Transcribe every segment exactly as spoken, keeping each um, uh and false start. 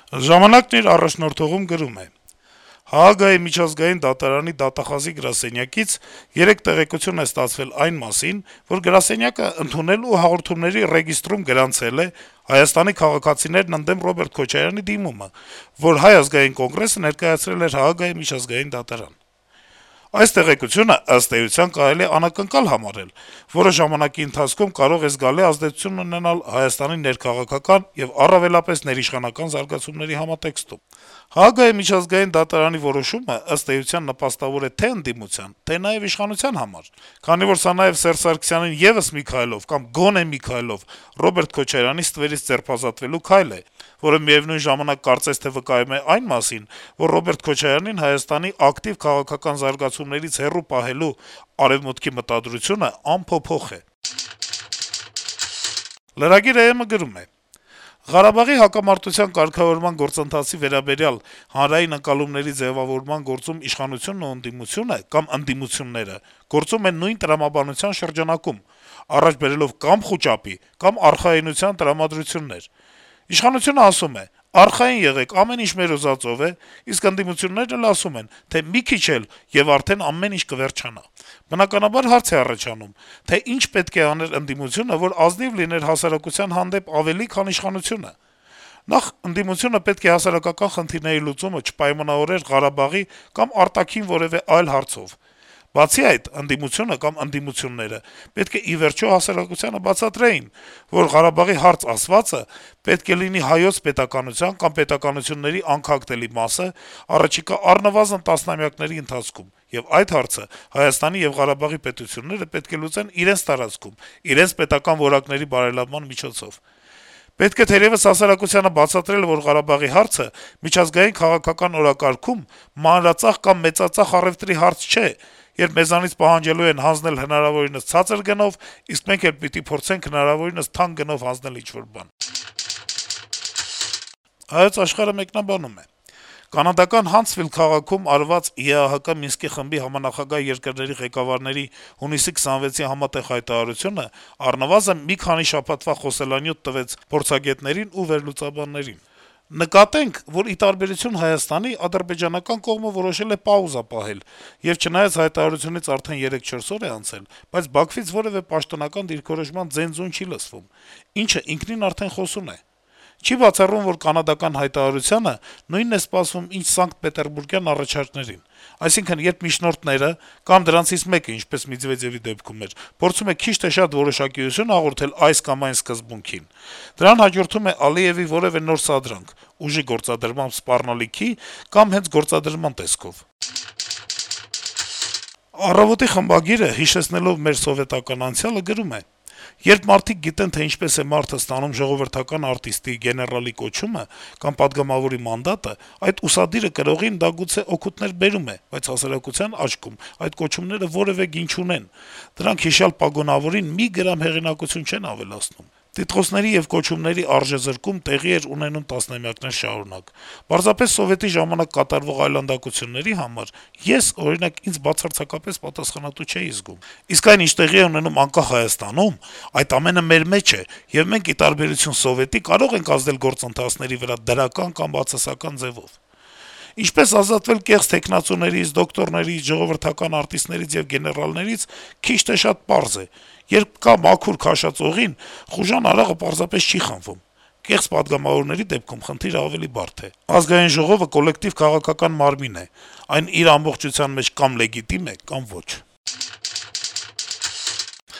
«Ժամանակ»-ն իր առաջնորդողում գրում է. - «ՀԱԳ-ի միջազգային դատարանի դատախազի գրասենյակից երեկ տեղեկություն է ստացվել այն մասին, որ գրասենյակը ընդունել ու հաղորդումների ռեգիստրում գրանցել է Հայաստանի քաղաքացիներն ընդդեմ Ռոբերտ Քոչարյանի դիմումը, որ Հայ ազգային կոնգրեսը ներկայացրել էր ՀԱԳ-ի միջազգային դատարան: Այս տեղեկությունը, ըստ էության, կարելի է անակնկալ համարել, որը ժամանակի ընթացքում կարող է զգալի ազդեցություն ունենալ Հայաստանի ներքաղաքական եւ առավելապես ներիշխանական զարգացումների համատեքստում: ՀԱԳ-ի միջազգային դատարանի որոշումը, ըստ էության, նպաստավոր է թե ընդդիմության, թե նաեւ իշխանության համար, քանի որ սա նաեւ Սերժ Սարգսյանին եւս մի քայլով կամ գոնե մի քայլով Ռոբերտ Քոչարյանի ստվերից ձերբազատվելու քայլ է, որը միեւնույն ժամանակ կարծես թե վկայում է այն մասին, որ Ռոբերտ Քոչարյանին Հայաստանի ակտիվ քաղաքական զարգացումներից հեռու պահելու Արեւմուտքի մտադրությունը անփոփոխ է»: Lragir.am-ը գրում է. - «Ղարաբաղի հակամարտության կարգավորման գործընթացի վերաբերյալ հանրային ընկալումների ձեւավորման գործում իշխանությունն ու ընդդիմությունը կամ ընդդիմությունները գործում են նույն տրամաբանության շրջանակում` առաջ բերելով կամ խուճապի, կամ արխայինության տրամադրություններ: Իշխանությունը ասում է` արխային եղեք, ամեն ինչ մեր ուզածով է, իսկ ընդդիմություններն էլ ասում են, թե մի քիչ էլ, եւ արդեն ամեն ինչ կվերջանա: Բնականաբար հարց է առաջանում, թե ինչ պետք է աներ ընդդիմությունը, որ ազնիվ լիներ հասարակության հանդեպ ավելի, քան իշխանությունը: Նախ, ընդդիմությունը պետք է հասարակական խնդիրների լուծումը չպայմանավորեր Ղարաբաղի կամ արտաքին որեւէ այլ հարցով: Բացի այդ, ընդդիմությունը կամ ընդդիմությունները պետք է ի վերջո հասարակությանը բացատրեին, որ Ղարաբաղի հարց ասվածը պետք է լինի Հայոց պետականության կամ պետականությունների անքակտելի մասը առաջիկա առնվազն տասնամյակների ընթացքում, եւ այդ հարցը Հայաստանի եւ Ղարաբաղի պետությունները պետք է լուծեն իրենց տարածքում, իրենց պետական որակների բարելավման միջոցով: Պետք է թերեւս հասարակությանը բացատրել, որ Ղարաբաղի հարցը միջազգային քաղաքական օրակարգում մանրածախ կամ մեծածախ առեւտրի հարց չէ, երբ մեզանից պահանջելու են հանձնել հնարավորինս ցածր գնով, իսկ մենք էլ պիտի փորձենք հնարավորինս թանկ գնով հանձնել ինչ-որ բան»: «Հայոց Աշխարհ»-ը մեկնաբանում է. - «Կանադական Հանցվիլ քաղաքում արված ԵԱՀԿ Մինսկի խմբի համանախագահ երկրների ղեկավարների հունիսի քսանվեցի համատեղ հայտարարությունը առնվազն մի քանի շաբաթվա խոսելանյութ տվեց փորձագետներին ու վերլուծաբաններին: Նկատենք, որ ի տարբերություն Հայաստանի, ադրբեջանական կողմը որոշել է պաուզա պահել, եւ չնայած հայտարարությունից արդեն երեք-չորս օր է անցել, բայց Բաքվից որեւէ պաշտոնական դիրքորոշման ձեն-ձուն չի լսվում, ինչը ինքնին արդեն խոսուն է: Չի բացառվում, որ կանադական հայտարարությանը նույնն է սպասվում, ինչ Սանկտ Պետերբուրգյան առաջարկներին: Այսինքն, երբ միջնորդները, կամ դրանցից մեկը, ինչպես Մեդվեդեւի դեպքում էր, փորձում է քիչ թե շատ որոշակիություն հաղորդել այս կամ այն սկզբունքին, դրան հաջորդում է Ալիեւի որեւէ նոր սադրանք` ուժի գործադրմամբ սպառնալիքի կամ հենց գործադրման տեսքով»: «Առավոտ»-ի խմբագիրը, հիշեցնելով մեր սովետական անցյալը, գրում է. - «Երբ մարդիկ գիտեն, թե ինչպես է մարդը ստանում ժողովրդական արտիստի, գեներալի կոչումը կամ պատգամավորի մանդատը, այդ ուսադիրը կրողին դա գուցե օգուտներ բերում է, բայց հասարակության աչքում այդ կոչումները որեւէ գին չունեն, դրանք հիշյալ պագոնավորին մի գրամ հեղինակություն չեն ավելացնում: Տիտղոսների եւ կոչումների արժեզրկում տեղի էր ունենում տասնամյակներ շարունակ: Պարզապես Սովետի ժամանակ կատարվող այլանդակությունների համար ես, օրինակ, ինձ բացարձակապես պատասխանատու չէի զգում: Իսկ այն, ինչ տեղի է ունենում անկախ Հայաստանում, այդ ամենը մեր մեջ է, եւ մենք, ի տարբերություն Սովետի, կարող ենք ազդել գործընթացների վրա դրական կամ բացասական ձեւով: Ինչպես ազատվել կեղծ թեկնածուներից, դոկտորներից, ժողովրդական արտիստներից եւ գեներալներից քիչ թե շատ պարզ է. երբ կա մաքուր քաշած օղին, խուժան արաղը պարզապես չի խմվում: Կեղծ պատգամավորների դեպքում խնդիրը ավելի բարդ է: Ազգային ժողովը կոլեկտիվ քաղաքական մարմին է, այն իր ամբողջության մեջ կա՛մ լեգիտիմ է, կա՛մ ոչ»: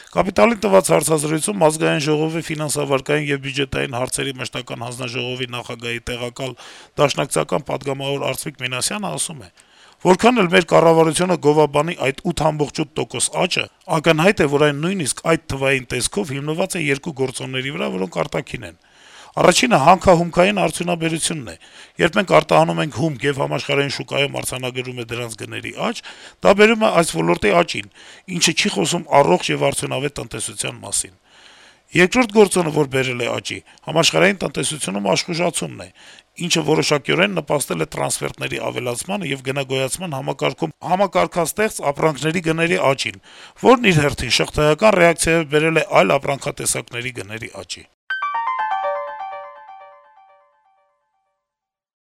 «Կապիտալ»-ին տված հարցազրույցում Ազգային ժողովի ֆինանսավարկային եւ բյուջետային հարցերի մշտական հանձնաժողովի նախագահի տեղակալ, դաշնակցական պատգամավոր Արծվիկ Մինասյանը ասում է. - «Որքան էլ մեր կառավարությունը գովաբանի այդ ութ ամբողջ ութ տոկոս աճը, ակնհայտ է, որ այն նույնիսկ այդ թվային տեսքով հիմնված է երկու գործոնների վրա, որոնք արտաքին են: Առաջինը հանքահումքային արդյունաբերությունն է: Երբ մենք արտահանում ենք հումք, եւ համաշխարհային շուկայում արձանագրում է դրանց գների աճ, դա բերում է այս ոլորտի աճին, ինչը չի խոսում առողջ եւ արդյունավետ տնտեսության մասին: Երկրորդ գործոնը, որ բերել է աճի, համաշխարհային տնտեսությունում աշխուժացումն է, ինչը որոշակիորեն նպաստել է տրանսֆերտների ավելացմանը եւ գնագոյացման համակարգում համակարգաստեղծ ապրանքների գների աճին, որն իր հերթին շղթայական ռեակցիայով բերել է այլ ապրանքատեսակների գների աճի»: